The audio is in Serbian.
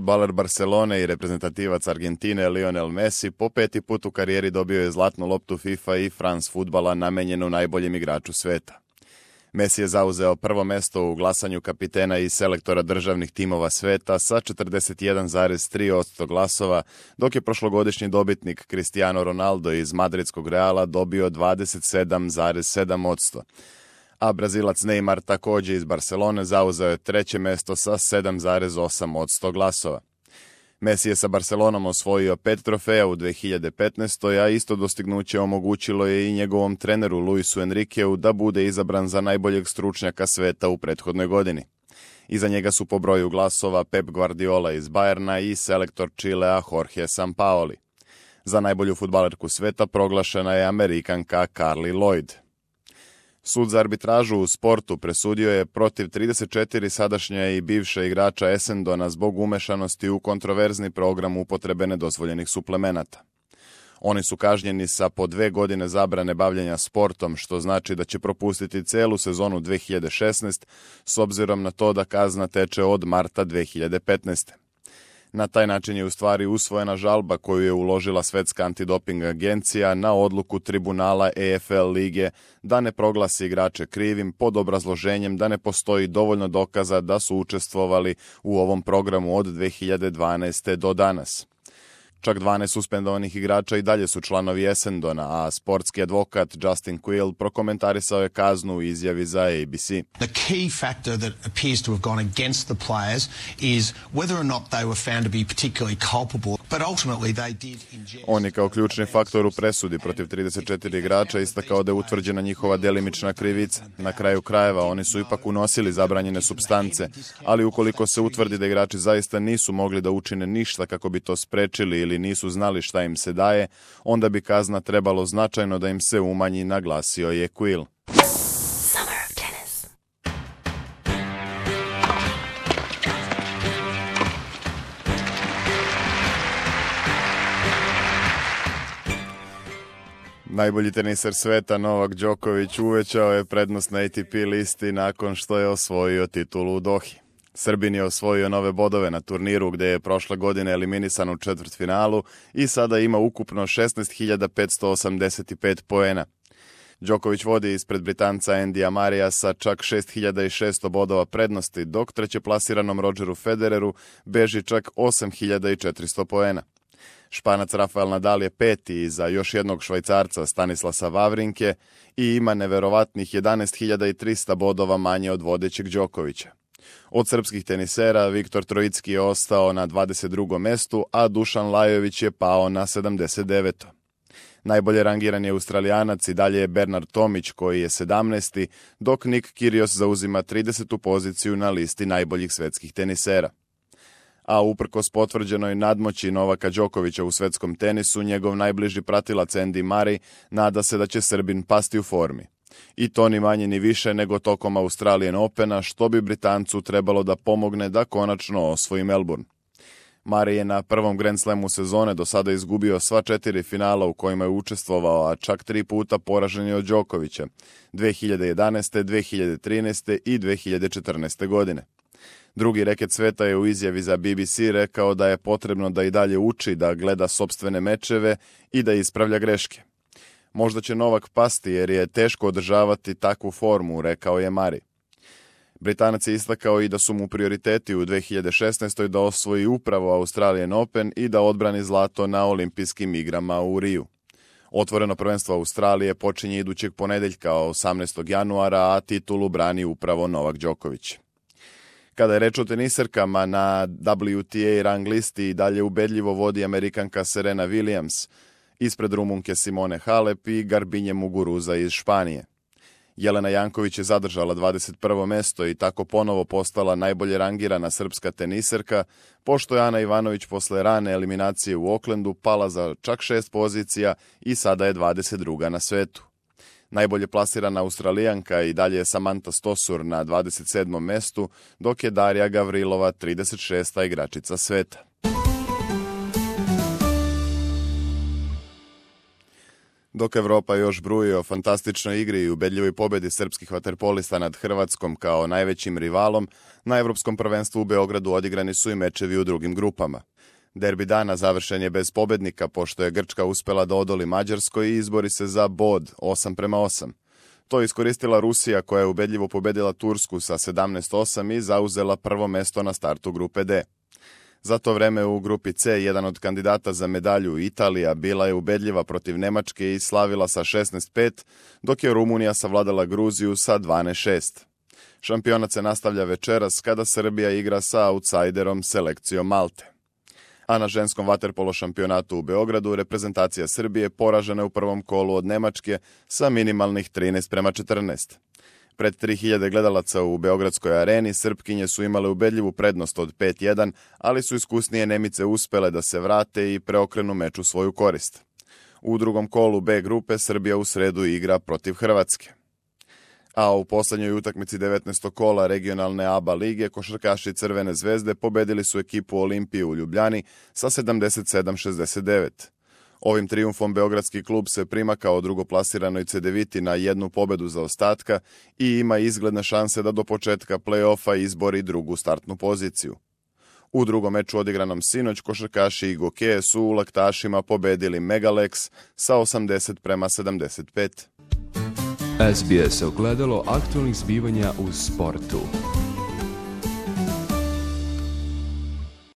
Fudbaler Barcelone i reprezentativac Argentine Lionel Messi po 5. put u karijeri dobio je zlatnu loptu FIFA i France fudbala namenjenu najboljem igraču sveta. Messi je zauzeo prvo mesto u glasanju kapitena i selektora državnih timova sveta sa 41,3% glasova, dok je prošlogodišnji dobitnik Cristiano Ronaldo iz madridskog Reala dobio 27,7%. A Brazilac Neymar također iz Barcelone zauzeo je treće mesto sa 7,8% glasova. Messi je sa Barcelonom osvojio 5 trofeja u 2015. a isto dostignuće omogućilo je i njegovom treneru Luisu Enriqueu da bude izabran za najboljeg stručnjaka sveta u prethodnoj godini. Iza njega su po broju glasova Pep Guardiola iz Bayerna i selektor Čilea Jorge Sampaoli. Za najbolju fudbalerku sveta proglašena je Amerikanka Carli Lloyd. Sud za arbitražu u sportu presudio je protiv 34 sadašnja i bivša igrača Essendona zbog umešanosti u kontroverzni program upotrebe nedozvoljenih suplemenata. Oni su kažnjeni sa po 2 godine zabrane bavljenja sportom, što znači da će propustiti celu sezonu 2016 s obzirom na to da kazna teče od marta 2015. Na taj način je u stvari usvojena žalba koju je uložila Svetska antidoping agencija na odluku tribunala EFL lige da ne proglasi igrače krivim pod obrazloženjem da ne postoji dovoljno dokaza da su učestvovali u ovom programu od 2012. do danas. Čak 12 suspendovanih igrača i dalje su članovi Essendona, a sportski advokat Justin Quill prokomentarisao je kaznu u izjavi za ABC. The key factor that appears to have gone against the players is whether or not they were found to be particularly culpable, but ultimately they did ingest. On je kao ključni faktor u presudi protiv 34 igrača istakao da je utvrđena njihova delimična krivica. Na kraju krajeva oni su ipak unosili zabranjene supstance, ali ukoliko se utvrdi da igrači zaista nisu mogli da učine ništa kako bi to sprečili ili nisu znali šta im se daje, onda bi kazna trebalo značajno da im se umanji, naglasio je Quill. Summer of tennis. Najbolji teniser sveta Novak Đoković uvećao je prednost na ATP listi nakon što je osvojio titulu u Dohi. Srbin je osvojio nove bodove na turniru gde je prošle godine eliminisan u četvrtfinalu i sada ima ukupno 16.585 poena. Đoković vodi ispred Britanca Andyja Murraya sa čak 6.600 bodova prednosti, dok trećeplasiranom Rodgeru Federeru beži čak 8.400 poena. Španac Rafael Nadal je peti iza još jednog Švajcarca Stanislasa Wawrinke i ima neverovatnih 11.300 bodova manje od vodećeg Đokovića. Od srpskih tenisera Viktor Trojicki je ostao na 22. mestu, a Dušan Lajović je pao na 79. Najbolje rangiran je Australijanac i dalje je Bernard Tomić koji je 17. dok Nick Kyrgios zauzima 30. poziciju na listi najboljih svetskih tenisera. A uprkos potvrđenoj nadmoći Novaka Đokovića u svetskom tenisu, njegov najbliži pratilac Andy Murray nada se da će Srbin pasti u formi. I to ni manje ni više nego tokom Australian Opena, što bi Britancu trebalo da pomogne da konačno osvoji Melbourne. Murray je na prvom Grand Slamu sezone do sada izgubio sva 4 finala u kojima je učestvovao, a čak 3 puta poražen je od Đokovića, 2011., 2013. i 2014. godine. Drugi reket sveta je u izjavi za BBC rekao da je potrebno da i dalje uči, da gleda sopstvene mečeve i da ispravlja greške. Možda će Novak pasti jer je teško održavati takvu formu, rekao je Murray. Britanac je istakao i da su mu prioriteti u 2016. da osvoji upravo Australian Open i da odbrani zlato na olimpijskim igrama u Riju. Otvoreno prvenstvo Australije počinje idućeg ponedeljka 18. januara, a titulu brani upravo Novak Đoković. Kada je reč o teniserkama, na WTA rang listi i dalje ubedljivo vodi Amerikanka Serena Williams, ispred Rumunke Simone Halep i Garbinje Muguruza iz Španije. Jelena Janković je zadržala 21. mesto i tako ponovo postala najbolje rangirana srpska teniserka, pošto je Ana Ivanović posle rane eliminacije u Oaklandu pala za čak 6 pozicija i sada je 22. na svetu. Najbolje plasirana Australijanka i dalje je Samantha Stosur na 27. mestu, dok je Darija Gavrilova 36. igračica sveta. Dok Evropa još bruji o fantastičnoj igri i ubedljivoj pobjedi srpskih vaterpolista nad Hrvatskom kao najvećim rivalom, na Evropskom prvenstvu u Beogradu odigrani su i mečevi u drugim grupama. Derbi dana završen je bez pobednika, pošto je Grčka uspela da odoli Mađarskoj i izbori se za bod 8:8. To je iskoristila Rusija, koja je ubedljivo pobedila Tursku sa 17:8 i zauzela prvo mesto na startu grupe D. Za to vreme u grupi C jedan od kandidata za medalju, Italija, bila je ubedljiva protiv Nemačke i slavila sa 16:5, dok je Rumunija savladala Gruziju sa 12:6. Šampionat se nastavlja večeras kada Srbija igra sa outsiderom selekcijom Malte. A na ženskom vaterpolo šampionatu u Beogradu reprezentacija Srbije poražena je u prvom kolu od Nemačke sa minimalnih 13:14. Pred 3000 gledalaca u Beogradskoj areni Srpkinje su imale ubedljivu prednost od 5:1, ali su iskusnije Nemice uspele da se vrate i preokrenu meč u svoju korist. U drugom kolu B grupe Srbija u sredu igra protiv Hrvatske. A u poslednjoj utakmici 19. kola regionalne ABA lige košarkaši Crvene zvezde pobedili su ekipu Olimpije u Ljubljani sa 77-69. Ovim trijumfom beogradski klub se prima kao drugoplasirano Cedeviti na jednu pobedu zaostatka i ima izgledne šanse da do početka play-offa izbori drugu startnu poziciju. U drugom meču odigranom sinoć košarkaši i Gokeje su u Laktašima pobedili Megalex sa 80:75. SBS ogledalo aktualnih zbivanja u sportu.